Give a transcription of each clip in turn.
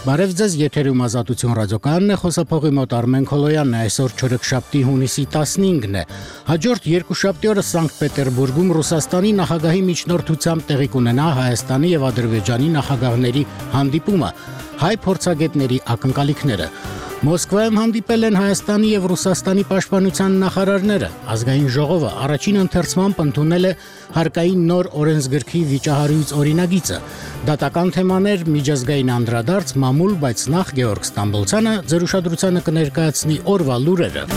Բարև ձեզ, եթերում Ազատություն ռադիոկայանն է, խոսափողի մոտ Արմեն Քոլոյանն է, այսօր չորեքշաբթի հունիսի 15-ն է։ Հաջորդ երկուշաբթի օրը Սանկտ Պետերբուրգում Ռուսաստանի նախագահի միջնորդությամբ տեղի կունենա Հայաստանի եւ Ադրբեջանի նախագահների հանդիպումը, հայ փորձագետների ակնկալիքները։ Մոսկվայում հանդիպել են Հայաստանի եւ Ռուսաստանի պաշտպանության նախարարները։ Ազգային ժողովը առաջին ընթերցմամբ ընդունել է հարկային նոր օրենսգրքի վիճահարույց օրինագիծը։ Դատական թեմաներ, միջազգային անդրադարձ, մամուլ, բայց նախ Գեորգ Ստամբոլցյանը ձեր ուշադրությանը կներկայացնի օրվա լուրերը։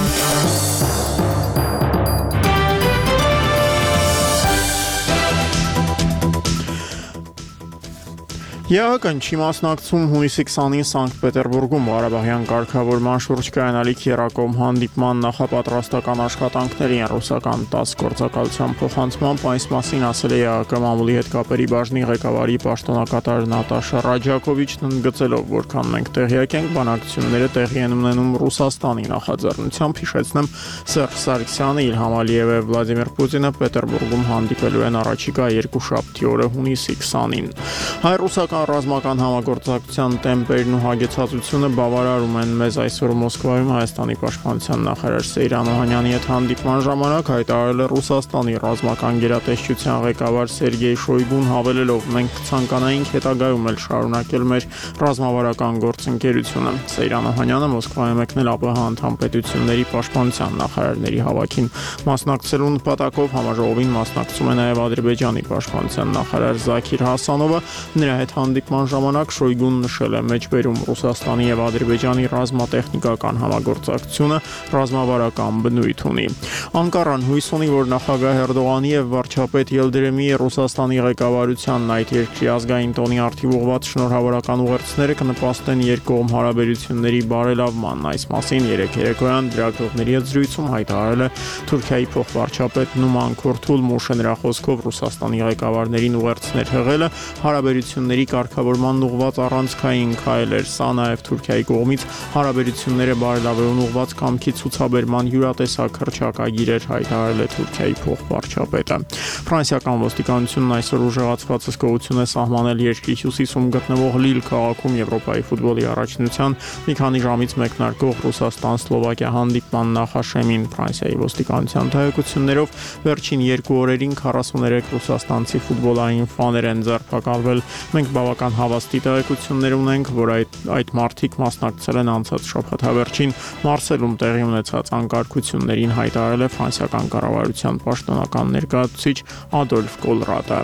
ԵԱՀԿ-ն չի մասնակցում հունիսի 20-ին Սանկտ Պետերբուրգում Ղարաբաղյան կարգավորման շուրջ կայանալիք երակողմ հանդիպման նախապատրաստական աշխատանքներին ռուսական 10 գործակալության փոխանցմամբ այս մասին ասել է ԵԱՀԿ մամուլի հետ կապերի բաժնի ղեկավարի պաշտոնակատար Նատաշա Ռաջակովիչն, ընդգծելով, որքան մենք տեղյակ ենք, բանակցությունները տեղի են ունենում Ռուսաստանի նախաձեռնությամբ, հիշեցնեմ, Սերժ Սարգսյանը, Իլհամ Ալիևը եւ Վլադիմիր Պուտինը Պետերբուրգում հանդիպելու են առաջիկա երկուշաբթի օրը հունիսի 20-ին։ Հայ-ռուսական ռազմական համագործակցության տեմպերն ու հագեցածությունը բավարարում են մեզ այսօր Մոսկվայում Հայաստանի պաշտպանության նախարար Սեյրան Օհանյանի հետ հանդիպման ժամանակ հայտարարել է Ռուսաստանի ռազմական գերատեսչության ղեկավար Սերգեյ Շոյգուն, հավելելով, մենք կցանկանայինք հետագայում էլ շարունակել մեր ռազմավարական գործընկերությունը։ Սեյրան Օհանյանը Մոսկվայում եկնել ԱՊՀ անդամ պետությունների պաշտպանության նախարարների հավաքին մասնակցելու նպատակով համաժողովին մասնակցում է նաև Ադրբեջանի պաշտպանության նախարար Զաքիր Հասանովը, նրա հետ հանդիպման ժամանակ Շոյգուն նշել է մեջբերում Ռուսաստանի եւ Ադրբեջանի ռազմատեխնիկական համագործակցությունը ռազմավարական բնույթ ունի։ Անկարան հույս ունի, որ նախագահ Էրդողանի եւ վարչապետ Ելդրեմի Ռուսաստանի ղեկավարությանն այդ երկրի ազգային տոնի արդիվ ուղղված շնորհավորական ուղերձները կնպաստեն երկկողմ հարաբերությունների բարելավման։ Այս մասին երեկոյան լրագրողների հետ զրույցում հայտարարել է Թուրքիայի փոխվարչապետ Նուման Քուրթուլմուշը, նրա խոսքով Ռուսաստանի ղեկավարներին ուղերձներ հղելը հարաբերությունների կարգավորման ուղղված առանցքային քայլ էր, սա նաև Թուրքիայի կողմից հարաբերությունները բարելավելուն ուղղված կամքի ցուցաբերման յուրատեսակ հռչակագիր էր, հայտարարել է Թուրքիայի փոխվարչապետը։ Ֆրանսիական ոստիկանությունն այսօր ուժեղացված հսկողություն է սահմանել երկրի հյուսիսում գտնվող Լիլ քաղաքում Եվրոպայի ֆուտբոլի առաջնության մի քանի ժամից մեկնարկող Ռուսաստան-Սլովակիա հանդիպման նախաշեմին։ Ֆրանսիայի ոստիկանության տեղեկություններով վերջին 2 օրերին 43 ռուսաստանցի ֆուտբոլային ֆաներ են ձերբակալվել։ Մենք բավական հավաստի տեղեկություններ ունենք, որ այդ մարդիկ մասնակցել են անցած շաբաթավերջին Մարսելում տեղի ունեցած անկարգություններին, հայտարարել է ֆրանսիական կառավարության պաշտոնական ներկայացուցիչ Ադոլֆ Կոլրատը։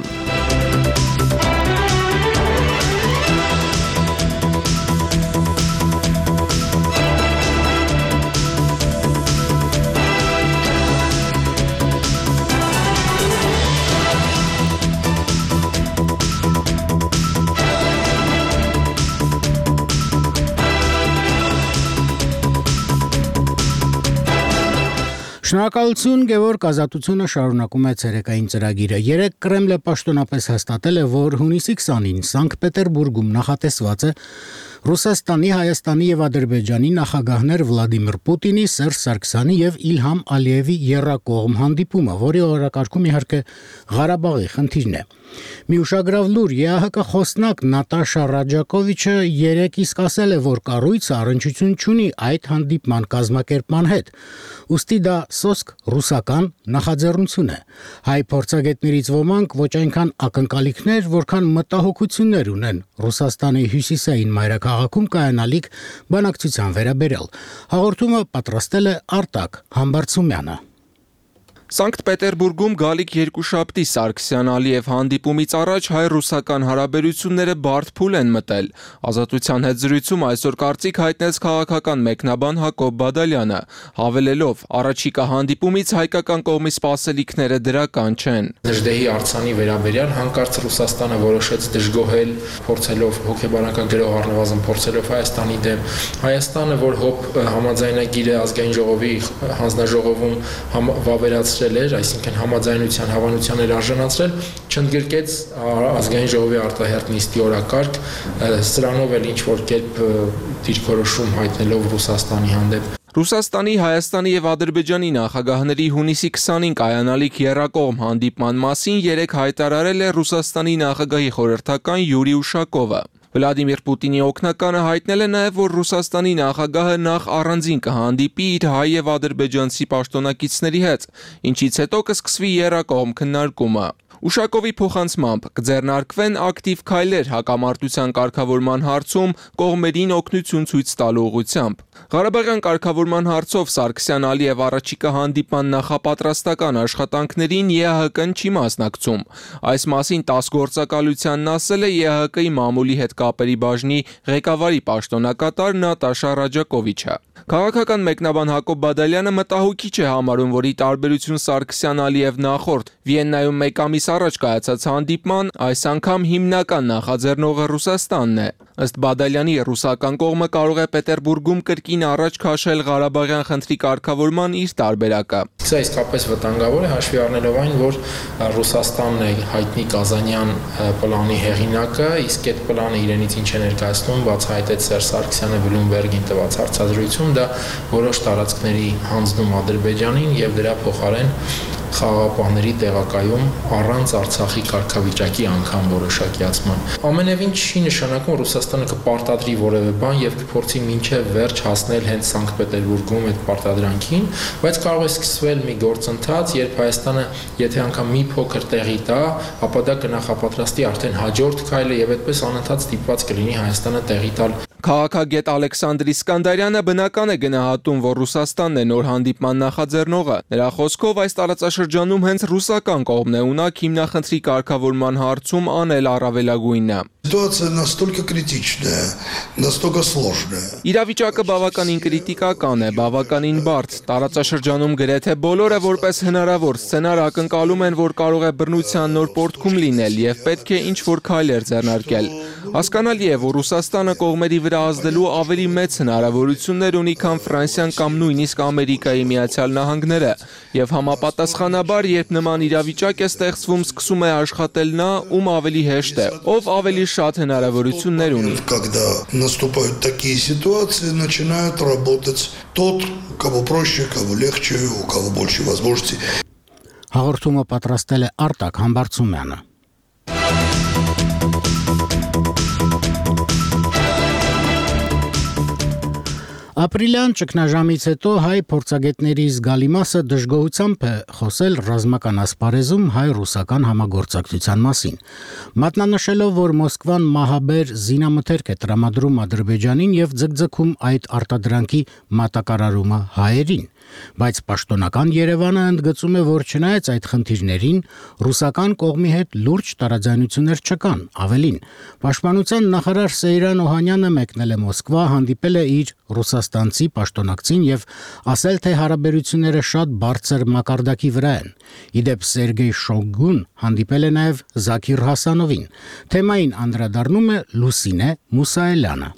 Շնորհակալություն, Գևորգ, Ազատությունը շարունակում է ցերեկային ծրագիրը։ Երեկ Կրեմլը պաշտոնապես հաստատել է, որ հունիսի 20-ին Սանկտ Պետերբուրգում նախատեսված է Ռուսաստանի, Հայաստանի եւ Ադրբեջանի նախագահներ Վլադիմիր Պուտինի, Սերժ Սարգսյանի եւ Իլհամ Ալիևի եռակողմ հանդիպումը, որի օրակարգում իհարկե Ղարաբաղի խնդիրն է։ Մի ուշագրավ լուր, ԵԱՀԿ խոսնակ Նատաշա Ռաջակովիչը երեկ իսկ ասել է, որ կառույցը առնչություն չունի այդ հանդիպման կազմակերպման հետ։ Ուստի դա սոսկ ռուսական նախաձեռնություն է։ Հայ փորձագետներից ոմանք ոչ այնքան ակնկալիքներ, որքան մտահոգություններ ունեն Ռուսաստանի հյուսիսային մայրաքաղաքում կայանալիք բանակցության վերաբերյալ։ Հաղորդումը պատրաստել է Արտակ Համբարձումյանը։ Սանկտ Պետերբուրգում գալիք երկուշաբթի Սարգսյան-Ալիև հանդիպումից առաջ հայ-ռուսական հարաբերությունները բարդ փուլ են մտել։ Ազատության հետ զրույցում այսօր կարծիք հայտնեց քաղաքական մեկնաբան Հակոբ Բադալյանը, հավելելով, առաջիկա հանդիպումից հայկական կողմի սպասելիքները դրական չեն։ Դժդեհի արձանի վերաբերյալ հանկարծ Ռուսաստանը որոշեց դժգոհել, փորձելով հոգեբանական առնվազն փորձելով Հայաստանի դեմ։ Հայաստանը, որ համաձայնագիրը ազգային ժողովի հանձնաժողովում վավերացրել էր, այսինքն համաձայնության հավանության էր արժանացրել, չընդգրկեց ազգային ժողովի արտահերթ նիստի օրակարգ, սրանով էլ ինչ-որ կերպ դիրքորոշում հայտնելով Ռուսաստանի հանդեպ։ Ռուսաստանի, Հայաստանի եւ Ադրբեջանի նախագահների հունիսի 20-ին կայանալիք եռակողմ հանդիպման մասին երեկ հայտարարել է Ռուսաստանի նախագահի խորհրդական Յուրի Ուշակովը։ Վլադիմիր Պուտինի օգնականը հայտնել է նաև, որ Ռուսաստանի նախագահը նախ առանձին կհանդիպի իր հայ եւ ադրբեջանցի պաշտոնակիցների հետ, ինչից հետո կսկսվի եռակողմ քննարկումը։ Ուշակովի փոխանցմամբ կձեռնարկվեն ակտիվ քայլեր հակամարտության կարգավորման հարցում կողմերին օգնություն ցույց տալու ուղղությամբ։ Ղարաբաղյան կարգավորման հարցով Սարգսյան-Ալիև առաջիկա հանդիպման նախապատրաստական աշխատանքներին ԵԱՀԿ-ն չի մասնակցում։ Այս մասին ՏԱՍՍ գործակալությանն ասել է ԵԱՀԿ-ի մամուլի հետ կապերի բաժնի ղեկավարի պաշտոնակատար Նատաշա Ռաջակովիչը։ Քաղաքական մեկնաբան Հակոբ Բադալյանը մտահոգիչ է համարում, որ ի տարբերություն Սարգսյան-Ալիև նախորդ Վիեննայում մեկ ամիս առաջ կայացած հանդիպման, այս անգամ հիմնական նախաձեռնողը Ռուսաստանն է։ Ըստ Բադալյանի, ռուսական կողմը կարող է Պետերբուրգում կրկին առաջ քաշել Ղարաբաղյան խնդրի կարգավորման իր տարբերակը։ Սա իսկապես վտանգավոր է, հաշվի առնելով այն, որ Ռուսաստանն է հայտնի Կազանյան պլանի հեղինակը, իսկ այդ պլանը իրենից ինչ է ներկայացնում, բացահայտեց Սերժ Սարգսյանը Բլումբերգին տված հարցազրույցում, դա որոշ տարածքների հանձնում Ադրբեջանին եւ դրա փոխարեն խաղաղապահների տեղակայում առանց Արցախի կարգավիճակի անգամ որոշակիացման։ Ամենևին չի նշանակում Ռուսաստանը կպարտադրի որևէ բան եւ կփորձի մինչեւ վերջ հասնել հենց Սանկտ Պետերբուրգում այդ պարտադրանքին, բայց կարող է սկսվել մի գործընթաց, երբ Հայաստանը, եթե անգամ մի փոքր տեղի տա, ապա դա կնախապատրաստի արդեն հաջորդ քայլը եւ այդպես անընդհատ ստիպված կլինի Հայաստանը տեղի տալ։ Քաղաքագետ Ալեքսանդր Իսկանդարյանը բնական է գնահատում, որ Ռուսաստանն է նոր հանդիպման նախաձեռնողը։ Նրա խոսքով այս տարածաշրջանում հենց ռուսական կողմն է ունակ հիմնախնդրի կարգավորման հարցում անել առավելագույնը։ Ситуация настолько критичная, настолько сложная. Իրավիճակը բավականին կրիտիկական է, բավականին բարդ։ Տարածաշրջանում գրեթե բոլորը որպես հնարավոր սցենար ակնկալում են, որ կարող է բռնության նոր պորտքում լինել եւ պետք է ինչ-որ քայլեր ձեռնարկել։ Հասկանալի է, որ Ռուսաստանը կողմերի վրա ազդելու ավելի մեծ հնարավորություններ ունի, քան Ֆրանսիան կամ նույնիսկ Ամերիկայի Միացյալ Նահանգները, եւ համապատասխանաբար, երբ նման իրավիճակ է ստեղծվում, սկսում է աշխատել նա, ում ավելի հեշտ է, ով ավելի շատ հնարավորություններ ունի։ Когда наступают такие ситуации, начинает работать тот, кого проще, кого легче, у кого больше возможностей. Հաղորդումը պատրաստել է Արտակ Համբարձումյանը։ Ապրիլյան ճգնաժամից հետո հայ փորձագետների զգալի մասը դժգոհությամբ է խոսել ռազմական ասպարեզում հայ-ռուսական համագործակցության մասին, մատնանշելով, որ Մոսկվան մահաբեր զինամթերք է տրամադրում Ադրբեջանին եւ ձգձգում այդ արտադրանքի մատակարարումը հայերին, բայց պաշտոնական Երևանը ընդգծում է, որ չնայած այդ խնդիրներին, ռուսական կողմի հետ լուրջ տարաձայնություններ չկան, ավելին, Պաշտպանության նախարար Սեյրան Օհանյանը մեկնել է Մոսկվա, հանդիպել է իր ռուսաստանցի պաշտոնակցին եւ ասել, թե հարաբերությունները շատ բարձր մակարդակի վրա են։ Իդեպ Սերգեյ Շոյգուն հանդիպել է նաեւ Զաքիր Հասանովին։ Թեմային անդրադառնում է Լուսինե Մուսայելյանը։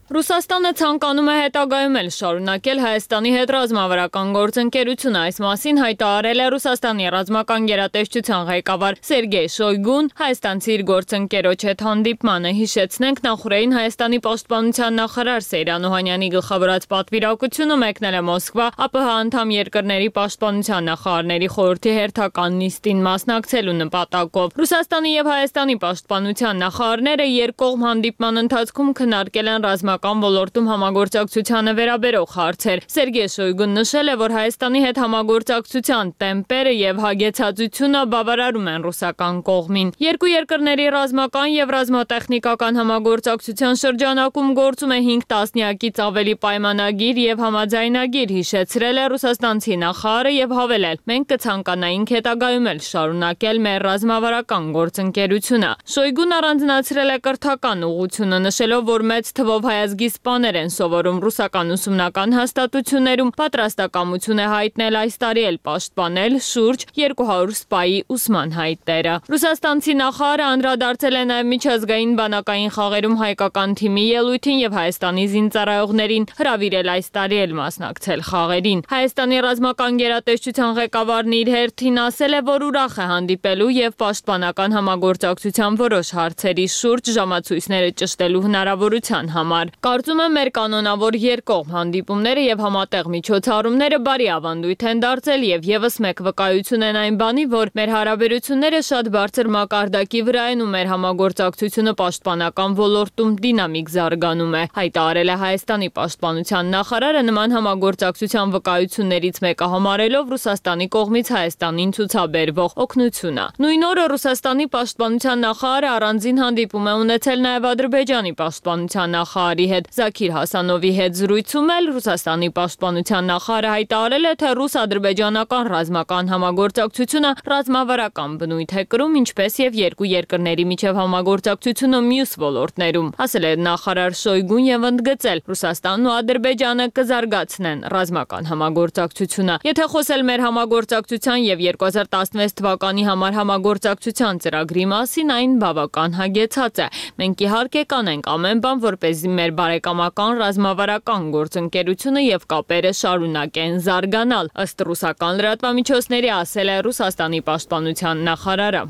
Ռուսաստանը ցանկանում է հետագայում էլ շարունակել Հայաստանի հետ ռազմավարական գործընկերությունը, այս մասին հայտարարել է Ռուսաստանի ռազմական գերատեսչության ղեկավար Սերգեյ Շոյգուն հայաստանցի իր գործընկերոջ հետ հանդիպմանը, հիշեցնենք նախորդին Հայաստանի պաշտպանության նախարար Սեյրան Օհանյանի գլխավորած պատվիրակությունը մեկնել է Մոսկվա ԱՊՀ անդամ երկրների պաշտպանության նախարարների խորհրդի հերթական նիստին մասնակցելու նպատակով։ Ռուսաստանի եւ Հայաստանի պաշտպանության նախարարները երկկողմ հանդիպման ընթացքում քննարկել են ռազմական ոլորտում համագործակցությանը վերաբերող հարցեր։ Սերգեյ Շոյգուն նշել է, որ Հայաստանի հետ համագործակցության տեմպերը եւ հագեցածությունը բավարարում են ռուսական կողմին։ Երկու երկրների ռազմական եւ ռազմատեխնիկական համագործակցության շրջանակում գործում է 5 տասնյակից ավելի պայմանագիր եւ համաձայնագիր, հիշեցրել է ռուսաստանցի նախարարը եւ հավելել. մենք կցանկանայինք հետագայում էլ շարունակել մեր ռազմավարական գործընկերությունը։ Շոյգուն առանձնացրել է կրթական ուղղությունը, նշելով, որ մեծ թվով հայազգի սպաներ են սովորում ռուսական ուսումնական հաստատություններում, պատրաստակամություն է հայտնել այս տարի էլ պաշտպանել շուրջ 200 սպայի ուսման հայտերը։ Ռուսաստանցի նախարարը անդրադարձել է նաև միջազգային բանակային խաղերում հայկական թիմի ելույթին եւ Հայաստանի զինծառայողներին հրավիրել այս տարի էլ մասնակցել խաղերին։ Հայաստանի ռազմական գերատեսչության ղեկավարն իր հերթին ասել է, որ ուրախ է հանդիպելու եւ պաշտպանական համագործակցության որոշ հարցերի շուրջ ժամացույցները ճշտելու հնարավորության համար։ Կարծում եմ մեր կանոնավոր երկկողմ հանդիպումները եւ համատեղ միջոցառումները բարի ավանդույթ են դարձել եւ եւս մեկ վկայություն են այն բանի, որ մեր հարաբերությունները շատ բարձր մակարդակի վրա են ու մեր համագործակցությունը պաշտպանական ոլորտում դինամիկ զարգանում է, հայտարարել է Հայաստանի պաշտպանության նախարարը նման համագործակցության վկայություններից մեկը համարելով Ռուսաստանի կողմից Հայաստանին ցուցաբերվող օգնությունը։ Նույն օրը Ռուսաստանի պաշտպանության նախարարը առանձին հանդիպում է ունեցել նաեւ Ադրբեջանի պաշտպանության նախարարի հետ Զաքիր Հասանովի հետ զրույցում էլ Ռուսաստանի պաշտպանության նախարարը հայտարարել է, թե ռուս-ադրբեջանական ռազմական համագործակցությունը ռազմավարական բնույթ է կրում, ինչպես եւ երկու երկրների միջև համագործակցությունը մյուս ոլորտներում, ասել է նախարար Շոյգուն եւ ընդգծել, Ռուսաստանն ու Ադրբեջանը կզարգացնեն ռազմական համագործակցությունը։ Եթե խոսել մեր համագործակցության եւ 2016 թվականի համար համագործակցության ծրագրի մասին, այն բավական հագեցած է։ Մենք իհարկե կանենք ամեն բան, որպեսզի մեր բարեկամական ռազմավարական գործընկերությունը եւ կապերը շարունակեն զարգանալ, ըստ ռուսական լրատվամիջոցների ասել է Ռուսաստանի պաշտպանության նախարարը։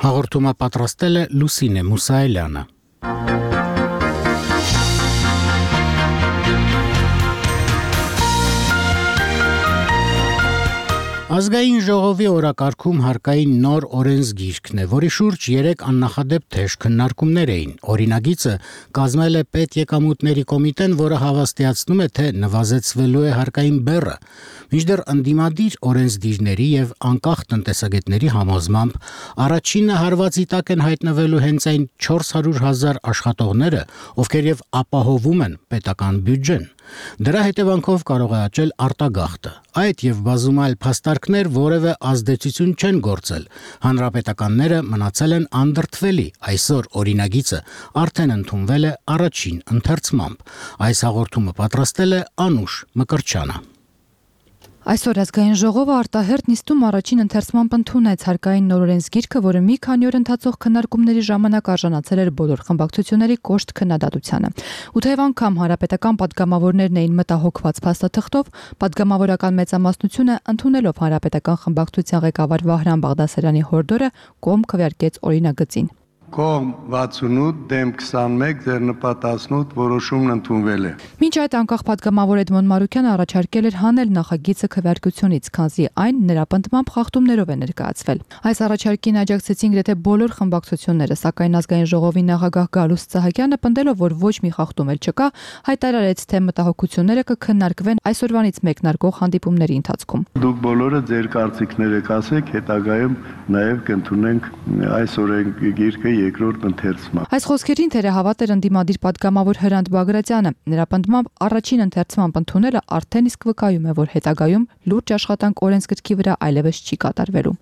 Հաղորդումը պատրաստել է Լուսինե Մուսայելյանը։ Ազգային ժողովի օրակարգում հարկային նոր օրենսգիրքն է, որի շուրջ 3 աննախադեպ թեժ քննարկումներ էին։ Օրինագիծը կազմել է պետեկամուտների կոմիտեն, որը հավաստիացնում է, թե նվազեցվելու է հարկային բեռը, մինչդեռ ընդդիմադիր օրենսդիրների եւ անկախ տնտեսագետների համոզմամբ առաջինը հարվածի տակ են հայտնվելու հենց այն 400,000 աշխատողները, ովքեր եւ ապահովում են պետական բյուջեն։ Դրա հետևանքով կարող է աճել արտագաղթը։ Այդ եւ բազում այլ փաստարկներ որևէ ազդեցություն չեն գործել։ Հանրապետականները մնացել են անդրդվելի։ Այսօր օրինագիծը արդեն ընդունվել է առաջին ընթերցմամբ։ Այս հաղորդումը պատրաստել է Անուշ Մկրչյանը։ Այսօր ազգային ժողովը արտահերթ նիստում առաջին ընթերցմամբ ընդունեց հարկային նոր օրենսգիրքը, որը մի քանի օր ընթացող քննարկումների ժամանակ արժանացել էր բոլոր խմբակցությունների կոշտ քննադատությանը։ Ու թեև անգամ հանրապետական падգամավորներն էին մտահոգված փաստաթղթով, падգամավորական մեծամասնությունը ընդունելով հանրապետական խմբակցության ղեկավար Վահրամ Բաղդասարյանի հորդորը կողմ քվեարկեց օրինագծին։ Կողմ 68 դեմ 21 ձեռնպատ 18 որոշումն ընդունվել է։ Մինչ այդ անկախ падգամավոր Էդմոն Մարուկյանը առաջարկել էր հանել նախագիծը քվեարկությունից, քանզի այն նրա պնդմամբ խախտումներով է ներկայացվել։ Այս առաջարկին աջակցեցին գրեթե բոլոր խմբակցությունները, սակայն ազգային ժողովի նախագահ Գալուստ Սահակյանը պնդելով, որ ոչ մի խախտում էլ չկա, հայտարարեց, թե մտահոգությունները կքննարկվեն այսօրվանից մեկնարկող հանդիպումների ընթացքում։ Դուք բոլորը ձեր կարծիքները կասեք, հետագայում նաև կընդունենք այս օրենսգիրքը երկրորդ ընթերցմամբ։ Այս խոսքերին թերահավատ էր ընդդիմադիր падգամավոր Հրանտ Բագրատյանը։ Նրա պնդմամբ առաջին ընթերցմամբ ընդունելը արդեն իսկ վկայում է, որ հետագայում լուրջ աշխատանք օրենսգրքի վրա այլևս չի կատարվելու։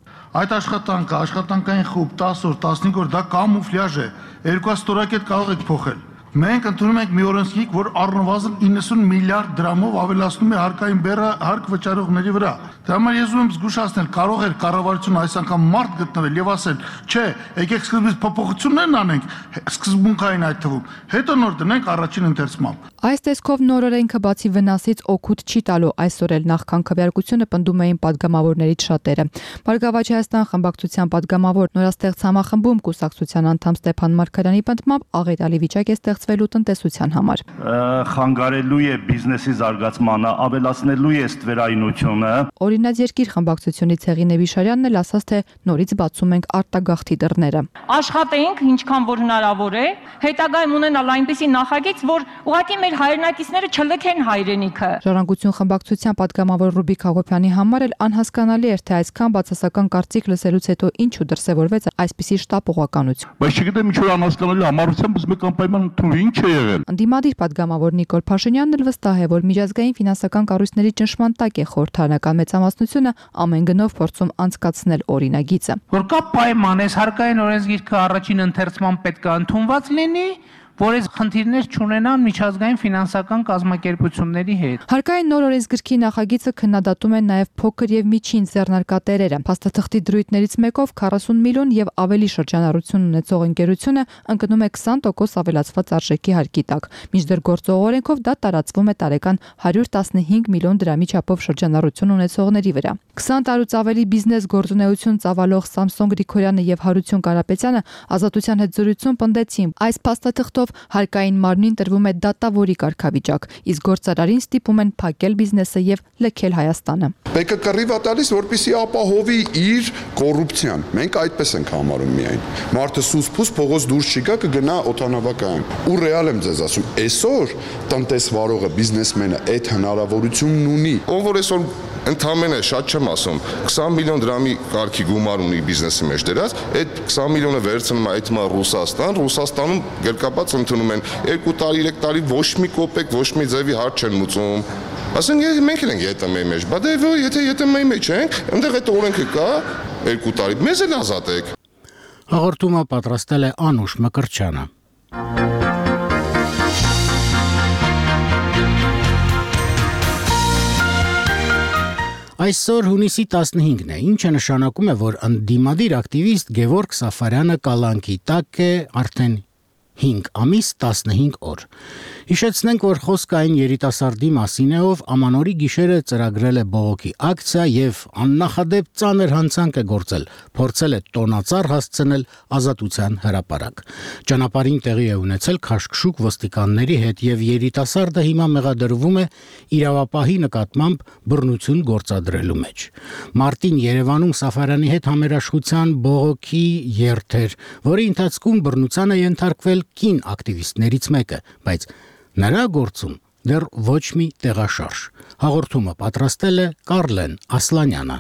Այդ աշխատանքը, աշխատանքային խումբ 10 օր, 15 օր, դա կամուֆլյաժ է։ 2 ստորակետ կարող եք փոխել։ Մենք ընդունում ենք մի օրենսգիրք, որ առնվազն 90 միլիարդ դրամով ավելացնում է հարկային բեռը հարկ վճարողների վրա։ Դա համար ես ուզում եմ զգուշացնել, կարող էր կառավարությունը այս անգամ մարդ գտնել եւ ասել, չէ, եկեք սկզբից փոփոխություններն անենք, սկզբունքային այդ թվում, հետո նոր դնենք առաջին ընթերցմամբ։ Այս տեսքով նոր օրենքը բացի վնասից օգուտ չի տալու, այսօր էլ նախքան քվեարկությունը պնդում էին падգամավորներից շատերը։ Բարգավաճ Հայաստան խմբակցության падգամավոր նորաստեղծ համախմբում կուսակցության անդամ Ստեփան Մարգարյանի պնդմամբ աղետալի վիճակ է ստեղծվելու տնտեսության համար։ Խանգարելու է բիզնեսի զարգացմանը, ավելացնելու է ստվերայնությունը։ Օրինաց երկիր խմբակցությունից Հեղինե Վիշարյանն էլ ասաց, թե նորից բացում ենք արտագաղթի դռները։ Աշխատենք ինչքան որ հնարավոր է, հետագայում ունենալ այնպիսի նախագիծ, որ ուղղակի մեր հայրենակիցները չլքեն հայրենիքը։ Ժառանգություն խմբակցության падգամավոր Ռուբիկ Հակոբյանի համար էլ անհասկանալի էր, թե այսքան բացասական կարծիք լսելուց հետո ինչու դրսևորվեց այսպիսի շտապողականություն։ Բայց չգիտեմ ինչու անհասկանալի համառությամբ ուզում եք անպայման ընդունել, ինչ է եղել։ Ընդդիմադիր падգամավոր Նիկոլ Փաշինյանն էլ վստահ է, որ միջազգային ֆինանսական կառույցների ճնշման տակ է խորհրդարանական մեծամասնությունը ամեն գնով փորձում անցկացնել օրինագիծը։ Որ կա պայման, այս հարկային օրենսգիրքը առաջին ընթերցման պետք է ընդունված լինի, որ այս խնդիրներ չունենան միջազգային ֆինանսական կազմակերպությունների հետ։ Հարկային նոր օրենսգրքի նախագիծը քննադատում են նաև փոքր եւ միջին ձեռնարկատերերը։ Փաստաթղթի դրույթներից մեկով 40 միլիոն եւ ավելի շրջանառություն ունեցող ընկերությունը ընկնում է 20% ավելացված արժեքի հարկի տակ։ Մինչդեռ գործող օրենքով դա տարածվում է տարեկան 115 միլիոն դրամի չափով շրջանառություն ունեցողների վրա։ 20 տարուց ավելի բիզնես գործունեություն ծավալող Սամսոն Գրիգորյանը եւ Հարություն Կարապետյանը Ազատության հետ զրույցում պնդեցին, այս փաստաթղթով ելնելով հարկային մարմնին տրվում է դատավորի կարգավիճակ, իսկ գործարարին ստիպում են փակել բիզնեսը եւ լքել Հայաստանը։ Մեկը կռիվ է տալիս, որպեսզի ապահովի իր կոռուպցիան։ Մենք այդպես ենք համարում միայն։ Մարդը սուս-փուս փողոց դուրս չգա, կգնա օդանավակայան։ Ու ռեալ եմ ձեզ ասում, այսօր տնտեսվարողը, բիզնեսմենը այդ հնարավորությունն ունի։ Ով որ այսօր ընդամենը շատ չեմ ասում, 20 միլիոն դրամի կարգի գումար ունի բիզնեսի մեջ դրած, այդ 20 միլիոնը վերցնում է այդմա Ռուսաստան, Ռուսաստանում գերկապած ընդունում են 2 տարի, 3 տարի ոչ մի կոպեկ, ոչ մի ձևի հարց չեն մուծում։ Ասենք մենք ենք ԵՏՄ-ի մեջ, բայց եթե ԵՏՄ-ի մեջ ենք, այնտեղ այդ օրենքը կա 2 տարի, մեզ էլ ազատեք։ Հաղորդումը պատրաստել է Անուշ Մկրտչյանը։ Այսօր հունիսի 15-ն է, ինչը նշանակում է, որ ընդդիմադիր ակտիվիստ Գևորգ Սաֆարյանը կալանքի տակ է արդեն 5 ամիս 15 օր։ Հիշեցնենք, որ խոսքը այն երիտասարդի մասին է, ով ամանորի գիշերը ծրագրել է բողոքի ակցիա եւ աննախադեպ ծանր հանցանք է գործել, փորձել է տոնածառ հասցնել Ազատության հրապարակ։ Ճանապարհին տեղի է ունեցել քաշքշուկ ոստիկանների հետ եւ երիտասարդը հիմա մեղադրվում է իրավապահի նկատմամբ բռնություն գործադրելու մեջ։ Մարտին Երևանում Սաֆարյանի հետ համերաշխության բողոքի երթեր, որի ընթացքում բռնության է ենթարկվել կին ակտիվիստներից մեկը, բայց նրա գործում դեռ ոչ մի տեղաշարժ։ Հաղորդումը պատրաստել է Կարլեն Ասլանյանը։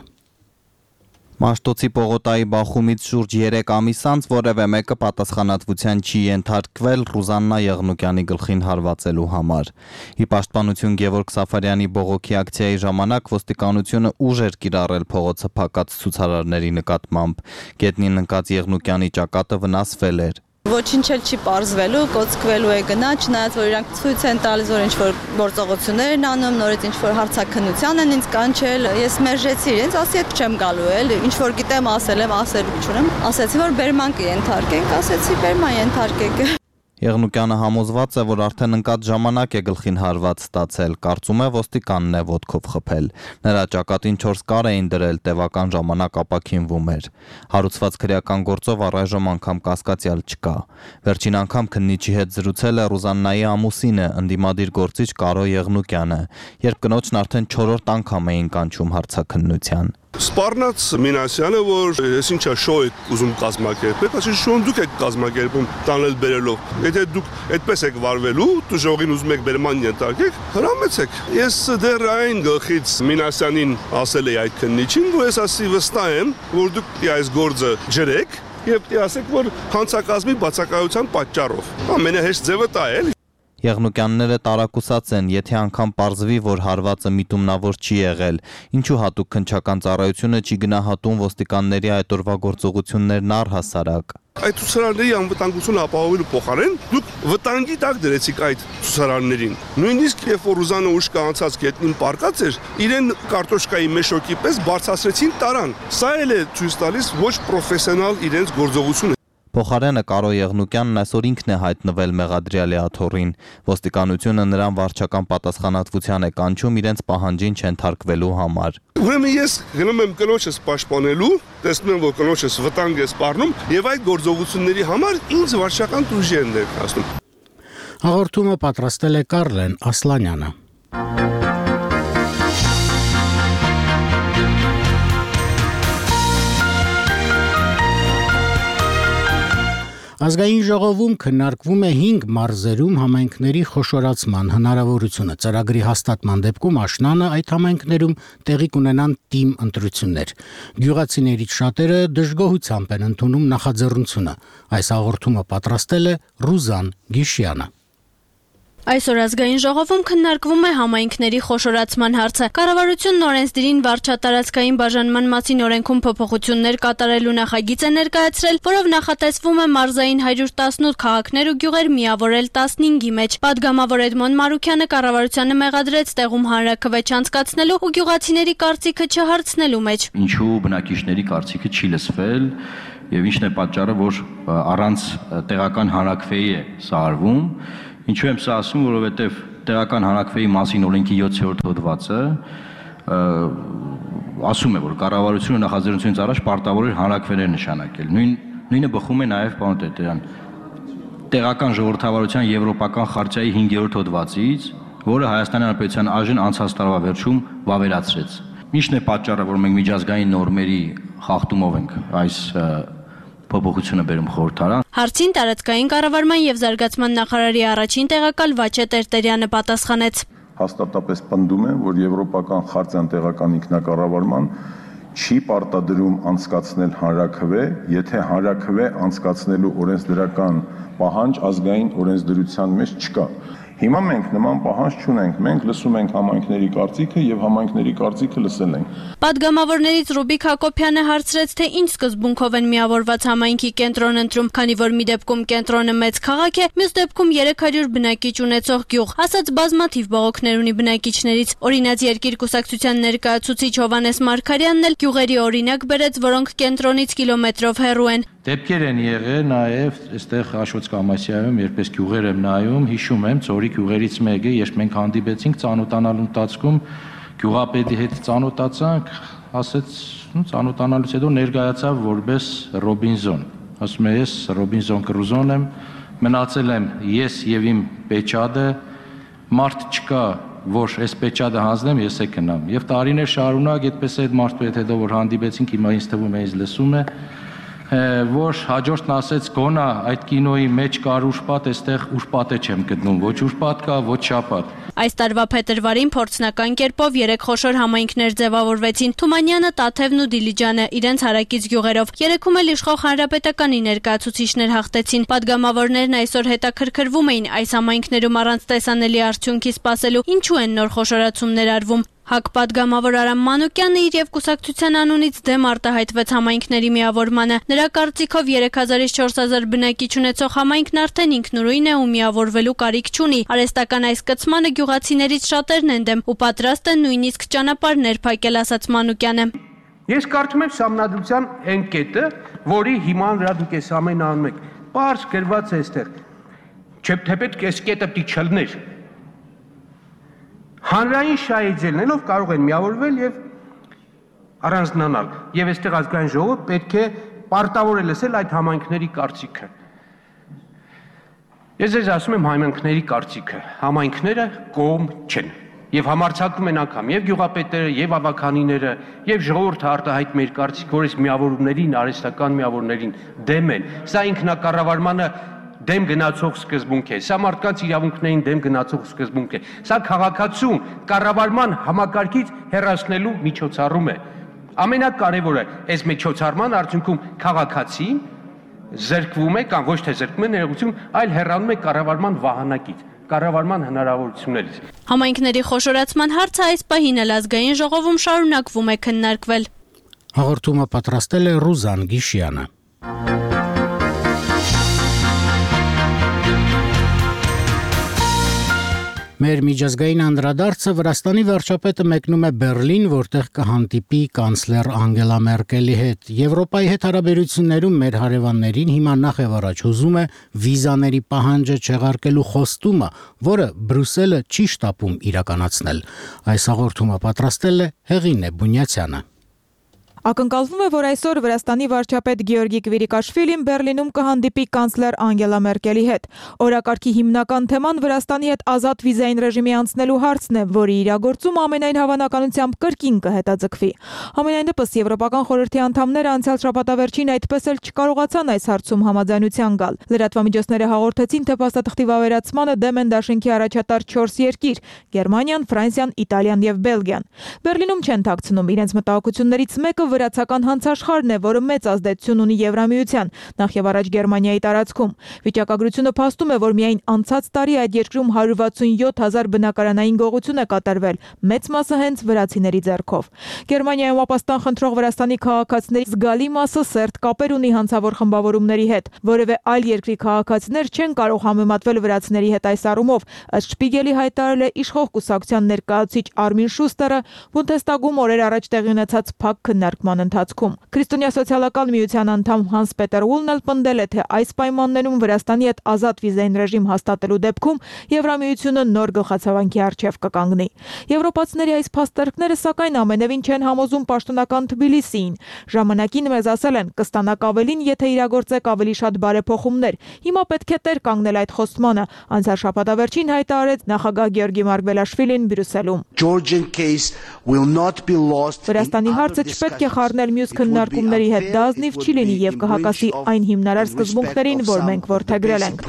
Մաշտոցի Պողոտայի բախումից շուրջ 3 ամիս անց որևէ մեկը պատասխանատվության չի ենթարկվել Ռուզաննա Եղնուկյանի գլխին հարվածելու համար։ Ի պաշտպանություն Գևորգ Սաֆարյանի բողոքի ակցիայի ժամանակ ոստիկանությունը ուժ էր կիրառել փողոցը փակած ցուցարարների նկատմամբ։ Գետնին ընկած Եղնուկյանի ճակատը վնասվել էր։ Ոչինչ էլ չի պարզվելու, կոծկվելու է գնա, չնայած որ իրանք ցույց են տալիս, որ ինչ-որ գործողություններ են անում, նորից ինչ-որ հարցաքննության են ինձ կանչել, ես մերժեցի իրենց, ասի հետ չեմ գալու էլ, ինչ-որ գիտեմ ասել եմ, ասելու չունեմ, ասեցի, որ բերման կենթարկենք, ասեցի բերման ենթարկեք։ Եղնուկյանը համոզված է, որ արդեն ընկած ժամանակ է գլխին հարված ստացել, կարծում է ոստիկանն է ոտքով խփել։ Նրա ճակատին 4 կար էին դրել, տևական ժամանակ ապաքինվում էր։ Հարուցված քրեական գործով առայժմ անգամ կասկածյալ չկա։ Վերջին անգամ քննիչի հետ զրուցել է Ռուզաննայի ամուսինը, ընդդիմադիր գործիչ Կարո Եղնուկյանը, երբ կնոջն արդեն 4-րդ անգամ էին կանչում հարցաքննության։ Սպառնաց Մինասյանը, որ ես ինչա շոու եք ուզում կազմակերպել, ասի շոուն դուք եք կազմակերպում տանել բերելով։ Եթե դուք այդպես եք վարվելու, դու ժողին ուզում եք բերման ենթարկեք, հրամեցեք։ Ես դեռ այն գլխից Մինասյանին ասել էի այդ քննիչին, որ ես ասի վստահ եմ, որ դուք այս գործը ջրեք եւ ասեք, որ հանցակազմի բացակայության պատճառով։ Ամենահեշտ ձևը դա է։ Եղնուկյանները տարակուսած են, եթե անգամ պարզվի, որ հարվածը միտումնավոր չի եղել, ինչու հատուկ քննչական ծառայությունը չի գնահատում ոստիկանների այդ օրվա գործողություններն առհասարակ։ Այդ ցուցարարների անվտանգությունը ապահովելու փոխարեն դուք վտանգի տակ դրեցիք այդ ցուցարարներին։ Նույնիսկ երբ որ Ռուզանը ուշ կանցած գետնին պարկած էր, իրեն կարտոշկայի մեշոկի պես բարձրացրեցին տարան։ Սա էլ է ցույց տալիս ոչ պրոֆեսիոնալ իրենց գործողությունը։ Փոխարենը Կարո Եղնուկյանն այսօր ինքն է հայտնվել մեղադրյալի աթոռին։ Ոստիկանությունը նրան վարչական պատասխանատվության է կանչում իրենց պահանջին չենթարկվելու համար։ Ուրեմն ես գնում եմ կնոջս պաշտպանելու, տեսնում եմ, որ կնոջս վտանգ է սպառնում եւ այդ գործողությունների համար ինձ վարչական տուժի են ներկայացնում։ Հաղորդումը պատրաստել է Կարլեն Ասլանյանը։ Ազգային ժողովում քննարկվում է 5 մարզերում համայնքների խոշորացման հնարավորությունը։ Ծրագրի հաստատման դեպքում աշնանը այդ համայնքներում տեղի կունենան թիմ ընտրություններ։ Գյուղացիներից շատերը դժգոհությամբ են ընդունում նախաձեռնությունը։ Այս հաղորդումը պատրաստել է Ռուզան Գիշյանը։ Այսօր ազգային ժողովում քննարկվում է համայնքների խոշորացման հարցը։ Կառավարությունն օրենսդիրին վարչատարածքային բաժանման մասին օրենքում փոփոխություններ կատարելու նախագիծ է ներկայացրել, որով նախատեսվում է մարզային 118 քաղաքներ ու գյուղեր միավորել 15-ի մեջ։ Պատգամավոր Էդմոն Մարուքյանը կառավարությանը մեղադրեց տեղում հանրաքվեճ անցկացնելու ու գյուղացիների կարծիքը չհարցնելու մեջ։ Ինչու բնակիչների կարծիքը չի լսվել եւ ինչն է պատճառը, որ առանց տեղական հանրաքվեի է սա արվում։ Ինչու եմ սա ասում, որովհետև տեղական հանրաքվեի մասին օրենքի 7-րդ հոդվածը ասում է, որ կառավարությունը նախաձեռնությունից առաջ պարտավոր է հանրաքվեներ նշանակել։ Նույնը բխում է նաև պարոն Տերտերյան տեղական ժողովրդավարության եվրոպական խարտիայի 5-րդ հոդվածից, որը Հայաստանի Հանրապետության ԱԺ-ն անցած տարվա վերջում վավերացրեց։ Ինչն է պատճառը, որ մենք միջազգային նորմերի խախտումով ենք այս փոփոխությունը բերում խորհրդարան։ Հարցին տարածքային կառավարման եւ զարգացման նախարարի առաջին տեղակալ Վաչե Տերտերյանը պատասխանեց. Հաստատապես պնդում եմ, որ եվրոպական խարտիան տեղական ինքնակառավարման չի պարտադրում անցկացնել հանրաքվե, եթե հանրաքվե անցկացնելու օրենսդրական պահանջ ազգային օրենսդրության մեջ չկա։ Հիմա մենք նման պահանջ չունենք, մենք լսում ենք համայնքների կարծիքը եւ համայնքների կարծիքը լսել ենք։ Պատգամավորներից Ռուբիկ Հակոբյանը հարցրեց, թե ինչ սկզբունքով են միավորված համայնքի կենտրոն ընտրում, քանի որ մի դեպքում կենտրոնը մեծ քաղաք է, մյուս դեպքում 300 բնակիչ ունեցող գյուղ, ասաց բազմաթիվ բողոքներ ունի բնակիչներից։ Օրինաց Երկիր կուսակցության ներկայացուցիչ Հովհաննես Մարգարյանն էլ գյուղերի օրինակ բերեց, որոնք կենտրոնից կիլոմետրով հեռու են։ Դեպքեր են եղել նաև այստեղ Աշոց Կամասյայում, երբ ես գյուղեր եմ նայում, հիշում եմ ծորի գյուղերից մեկը, երբ մենք հանդիպեցինք ծանոթանալու ընթացքում, գյուղապետի հետ ծանոթացանք, ասեց, ծանոթանալուց հետո ներկայացավ որպես Ռոբինզոն։ Ասում է, ես Ռոբինզոն Կրուզոն եմ, մնացել եմ ես եւ իմ պեչադը, մարդ չկա, որ այս պեչադը հանձնեմ, ես է գնամ։ Եվ տարիներ շարունակ այդպես է այդ մարդու հետ հետո որ հանդիպեցինք, հիմա ինձ թվում է ինձ լսում է, որ հաջորդն ասեց գոնա այդ կինոյի մեջ կար ուշպատ, այստեղ ուշպատը չեմ գտնում, ոչ ուշպատ կա, ոչ շապատ։ Այս տարվա փետրվարին փորձնական կերպով 3 խոշոր համայնքներ ձևավորվեցին՝ Թումանյանը, Տաթևն ու Դիլիջանը իրենց հարակից գյուղերով։ Երեքում էլ իշխող հանրապետականի ներկայացուցիչներ հաղթեցին։ Պատգամավորներն այսօր հետաքրքրվում էին այս համայնքներում առանց տեսանելի արդյունքի սպասելու ինչու են նոր խոշորացումներ արվում։ ՀԱԿ պատգամավոր Արամ Մանուկյանը իր եւ կուսակցության անունից դեմ արտահայտվեց համայնքների միավորմանը։ Նրա կարծիքով 3000-ից 4000 բնակիչ ունեցող համայնքն արդեն ինքնուրույն է ու միավորվելու կարիք չունի։ Արհեստական այս կցմանը գյուղացիներից շատերն են դեմ ու պատրաստ են նույնիսկ ճանապարհներ փակել, ասաց Մանուկյանը։ Ես կարծում եմ սահմանադրության այն կետը, որի հիման վրա դուք այս ամենը անում եք, պարզ գրված է այստեղ։ Չէ՞ պետք է այս կետը պիտի չլներ։ Հանրային շահիջելնելով կարող են միավորվել եւ առանձնանալ։ Եվ այստեղ ազգային ժողովը պետք է պարտավոր է լսել այդ համայնքների կարծիքը։ Ես ձեզ ասում եմ համայնքների կարծիքը։ Համայնքները կողմ չեն։ Եվ համարձակում են անգամ եւ գյուղապետերը, եւ ավականիները, եւ ժողովուրդը արտահայտում իր կարծիքը, որ այս միավորումներին, արհեստական միավորումներին դեմ են։ Սա ինքնակառավարմանը դեմ գնացող սկզբունք է, սա մարդկանց իրավունքներին դեմ գնացող սկզբունք է, սա քաղաքացուն կառավարման համակարգից հեռացնելու միջոցառում է։ Ամենակարևորը, այս միջոցառման արդյունքում քաղաքացին զրկվում է կամ ոչ թե զրկվում է ներողություն, այլ հեռանում է կառավարման վահանակից, կառավարման հնարավորություններից։ Համայնքների խոշորացման հարցը այս պահին էլ ազգային ժողովում շարունակվում է քննարկվել։ Հաղորդումը պատրաստել է Ռուզան Գիշյանը։ Մեր միջազգային անդրադարձը Վրաստանի վարչապետը մեկնում է Բերլին, որտեղ կհանդիպի կանցլեր Անգելա Մերկելի հետ։ Եվրոպայի հետ հարաբերություններում մեր հարևաններին հիմա նախ եւ առաջ հուզում է վիզաների պահանջը չեղարկելու խոստումը, որը Բրյուսելը չի շտապում իրականացնել։ Այս հաղորդումը պատրաստել է Հեղինե Բունյացյանը։ Ակնկալվում է, որ այսօր Վրաստանի վարչապետ Գեորգի Կվիրիկաշվիլին Բերլինում կհանդիպի կանցլեր Անգելա Մերկելի հետ։ Օրակարգի հիմնական թեման Վրաստանի հետ ազատ վիզային ռեժիմի անցնելու հարցն է, որի իրագործումը ամենայն հավանականությամբ կրկին կհետաձգվի։ Համենայնդեպս Եվրոպական խորհրդի անդամները անցյալ շաբաթավերջին այդպես էլ չկարողացան այս հարցում համաձայնության գալ։ Լրատվամիջոցները հաղորդեցին, թե փաստաթղթի վավերացմանը դեմ են դաշինքի առաջատար 4 երկիր՝ Գերմանիան, Ֆրանսիան, Իտալիան եւ Բելգիան։ Բերլինում չեն թաքցնում իրենց մտահոգություններից մեկը վրացական հանցաշխարհն է, որը մեծ ազդեցություն ունի Եվրամիության, նախ եւ առաջ Գերմանիայի տարածքում։ Վիճակագրությունը փաստում է, որ միայն անցած տարի այդ երկրում 167,000 բնակարանային գողություն է կատարվել, մեծ մասը հենց վրացիների ձեռքով։ Գերմանիայում ապաստան խնդրող Վրաստանի քաղաքացիների զգալի մասը սերտ կապեր ունի հանցավոր խմբավորումների հետ։ Որևէ այլ երկրի քաղաքացիներ չեն կարող համեմատվել վրացիների հետ այս առումով, ըստ Շպիգելի հայտարարել է իշխող կուսակցության ներկայացուցիչ Արմին Շուստերը Բունդեստագում օրեր առաջ տեղի ունեցած փակ քննարկման հաղորդման ընթացքում։ Քրիստոնյա սոցիալական միության անդամ Հանս Պետեր Ուլն էլ պնդել է, թե այս պայմաններում Վրաստանի հետ ազատ վիզային ռեժիմ հաստատելու դեպքում Եվրամիությունը նոր գլխացավանքի առջև կկանգնի։ Եվրոպացիների այս փաստարկները սակայն ամենևին չեն համոզում պաշտոնական Թբիլիսիին։ Ժամանակին մեզ ասել են կստանաք ավելին, եթե իրագործեք ավելի շատ բարեփոխումներ։ Հիմա պետք է տեր կանգնել այդ խոստմանը, անցյալ շաբաթավերջին հայտարարեց նախագահ Գեորգի Մարգվելաշվիլին Բրյուսելում։ Վրաստանի հարցը չպետք է խառնել մյուս քննարկումների հետ, դա ազնիվ չի լինի եւ կհակասի այն հիմնարար սկզբունքներին, որ մենք որդեգրել ենք։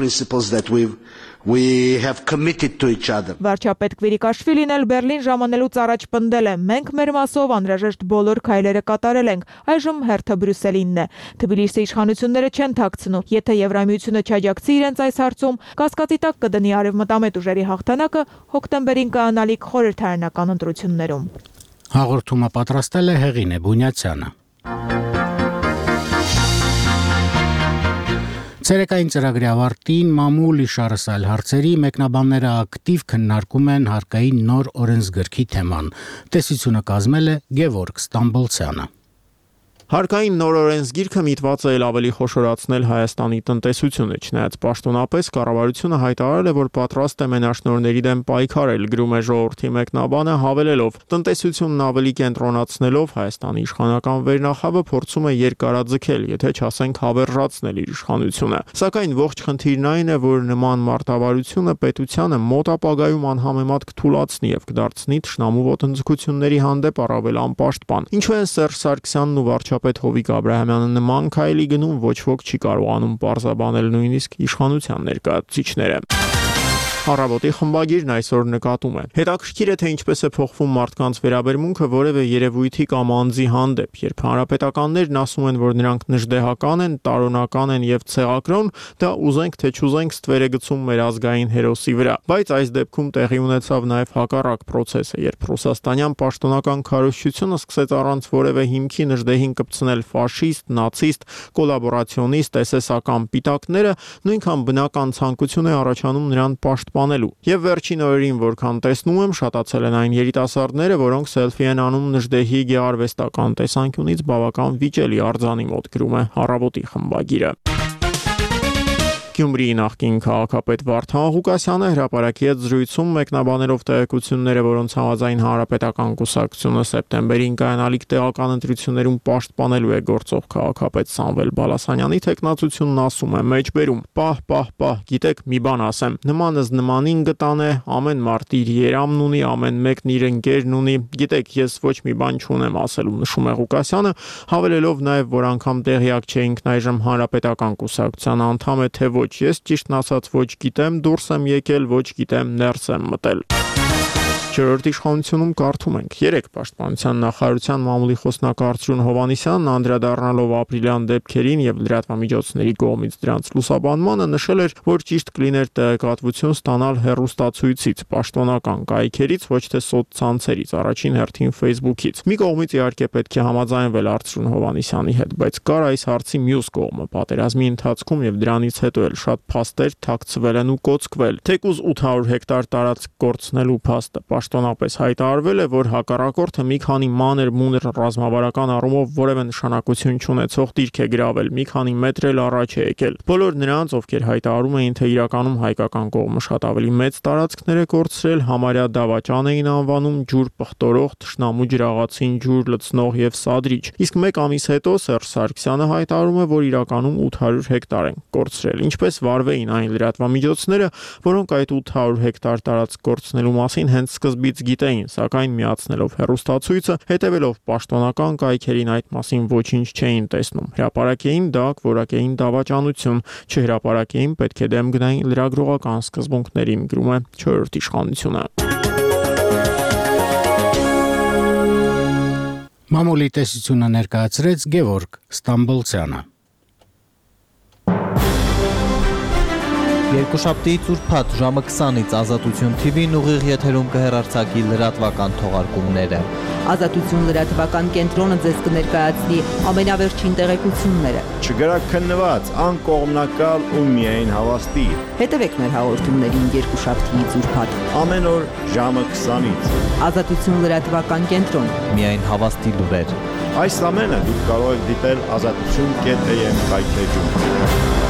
Վարչապետ Կվիրիկաշվիլին էլ Բերլին ժամանելուց առաջ պնդել է. մենք մեր մասով անհրաժեշտ բոլոր քայլերը կատարել ենք, այժմ հերթը Բրյուսելինն է։ Թբիլիսի իշխանությունները չեն թաքցնու, եթե Եվրամիությունը չաջակցի իրենց այս հարցում, կասկածի տակ կդնի արևմտամետ ուժերի հաղթանակը հոկտեմբերին կայանալիք խորհրդարանական ընտրություններում։ Հաղորդումը պատրաստել է Հեղինե Բունյացյանը։ Ցերեկային ծրագրի ավարտին մամուլ իշարսալ հարցերի մեկնաբանները ակտիվ քննարկում են հարկային նոր օրենսգրքի թեման։ Տեսությունը կազմել է Գևորգ Ստամբոլցյանը։ Հարկային նոր օրենսգիրքը միտված է ավելի խոշորացնել Հայաստանի տնտեսությունը, չնայած պաշտոնապես կառավարությունը հայտարարել է, որ պատրաստ է մենաշնորհների դեմ պայքարել, գրում է ժողովրդի մեկնաբանը, հավելելով. տնտեսությունն ավելի կենտրոնացնելով Հայաստանի իշխանական վերնախավը փորձում է երկարաձգել, եթե չասենք հավերժացնել իր իշխանությունը։ Սակայն ողջ խնդիրն այն է, որ նման մարտավարությունը պետությանը մոտ ապագայում անհամեմատ կթուլացնի եւ կդարձնի թշնամու ոտնձգությունների հանդեպ առավել անպաշտպան։ Ինչու են Սերժ Սարգսյանն ու վարչապետ Հովիկ Աբրահամյանը նման քայլի գնում, ոչ ոք չի կարողանում պարզաբանել նույնիսկ իշխանության ներկայացուցիչները։ Առավոտի խմբագիրն այսօր նկատում է. հետաքրքիր է, թե ինչպես է փոխվում մարդկանց վերաբերմունքը որևէ երևույթի կամ անձի հանդեպ, երբ հանրապետականներն ասում են, որ նրանք նժդեհական են, տարոնական են եւ ցեղակրոն, դա ուզենք թե չուզենք ստվեր է գցում մեր ազգային հերոսի վրա։ Բայց այս դեպքում տեղի ունեցավ նաեւ հակառակ process-ը, երբ ռուսաստանյան պաշտոնական քարոզչությունը սկսեց առանց որևէ հիմքի նժդեհին կպցնել ֆաշիստ, նացիստ, կոլաբորացիոնիստ, էսեսական պիտակները, նույնքան բնական ցանկություն է առաջանում նրան պաշտպանելու։ Եվ վերջին օրերին, որքան տեսնում եմ, շատացել են այն երիտասարդները, որոնք սելֆի են անում նժդեհի գեղարվեստական տեսանկյունից բավական վիճելի արձանի մոտ, գրում է Առավոտի խմբագիրը։ Գյումրիի նախկին քաղաքապետ Վարդան Ղուկասյանը հրապարակի հետ զրույցում մեկնաբանելով տեղեկությունները, որոնց համաձայն հանրապետական կուսակցությունը սեպտեմբերին կայանալիք տեղական ընտրություններում պաշտպանելու է գործող քաղաքապետ Սամվել Բալասանյանի թեկնածությունն ասում է մեջբերում. պահ, գիտեք, մի բան ասեմ, նմանըզ նմանին գտան է, ամեն մարդ իր երամն ունի, ամեն մեկն իր ընկերն ունի, գիտեք, ես ոչ մի բան չունեմ ասելու, նշում է Ղուկասյանը, հավելելով նաև, որ անգամ տեղյակ չէինք այժմ հանրապետական կուսակցության անդամ է, թե ոչ, ես ճիշտն ասած ոչ գիտեմ, դուրս եմ եկել, ոչ գիտեմ, ներս եմ մտել։ Չորրորդ իշխանությունում կարդում ենք. 3 պաշտպանության նախարարության մամուլի խոսնակ Արծրուն Հովհաննիսյանն անդրադառնալով ապրիլյան դեպքերին եւ լրատվամիջոցների կողմից դրանց լուսաբանմանը նշել էր, որ ճիշտ կլիներ տեղեկատվություն ստանալ հեռուստացույցից, պաշտոնական կայքերից, ոչ թե սոցցանցերից, առաջին հերթին Facebook-ից։ Մի կողմից իհարկե պետք է համաձայնվել Արծրուն Հովհաննիսյանի հետ, բայց կար այս հարցի մյուս կողմը, պատերազմի ընթացքում եւ դրանից հետո էլ շատ փաստեր թաքցվել են ու կոծկվել։ Թեկուզ 800 հեկտար տարածք կորցնելու փաստը պաշտոնապես հայտարարվել է, որ հակառակորդը մի քանի մանր-մունր ռազմավարական առումով որևէ նշանակություն չունեցող դիրք է գրավել, մի քանի մետր էլ առաջ է եկել։ Բոլոր նրանց, ովքեր հայտարարում էին, թե իրականում հայկական կողմը շատ ավելի մեծ տարածքներ է կորցրել, համարյա դավաճան էին անվանում, ջուր պղտորող, թշնամու ջրաղացին ջուր լցնող եւ սադրիչ։ Իսկ մեկ ամիս հետո Սերժ Սարգսյանը հայտարարում է, որ իրականում 800 հեկտար են կորցրել։ Ինչպես վարվեին այն լրատվամիջոցները, որոնք այդ 800 հեկտար տարածք կորցնելու մասին հենց սկզբից գիտեին, սակայն միացնելով հեռուստացույցը, հետևելով պաշտոնական կայքերին այդ մասին ոչինչ չէին տեսնում։ Հրապարակեին դակ, որակեին դավաճանություն, չհրապարակեին պետք է դեմ գնային լրագրողական սկզբունքներին, գրում է 4-րդ իշխանությունը։ Մամուլի տեսությունը ներկայացրեց Գևորգ Ստամբոլցյանը։ Երկուշաբթիից ուրբաթ ժամը 20-ից Ազատություն TV-ն ուղիղ եթերում կհեռարձակի լրատվական թողարկումները։ Ազատություն լրատվական կենտրոնը ձեզ կներկայացնի ամենավերջին տեղեկությունները։ Չգրաքննված, անկողմնակալ ու միայն հավաստի։ Հետևեք մեր հաղորդումներին երկուշաբթիից ուրբաթ ամեն օր ժամը 20-ից։ Ազատություն լրատվական կենտրոն։ Միայն հավաստի լուրեր։ Այս ամենը դուք կարող եք դիտել azatutun.am կայքեջում։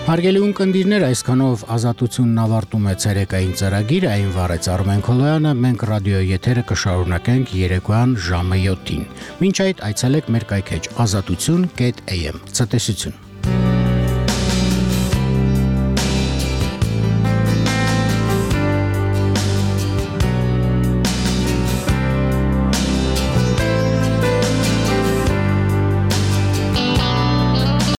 Հարգելի ունկնդիրներ, այսքանով Ազատությունն ավարտում է ցերեկային ծրագիրը, այն վարեց Արմեն Քոլոյանը, մենք ռադիո եթերը կշարունակենք երեկոյան ժամը 7-ին։ Մինչ այդ այցելեք մեր կայքեջ azatutun.am։ Ցտեսություն։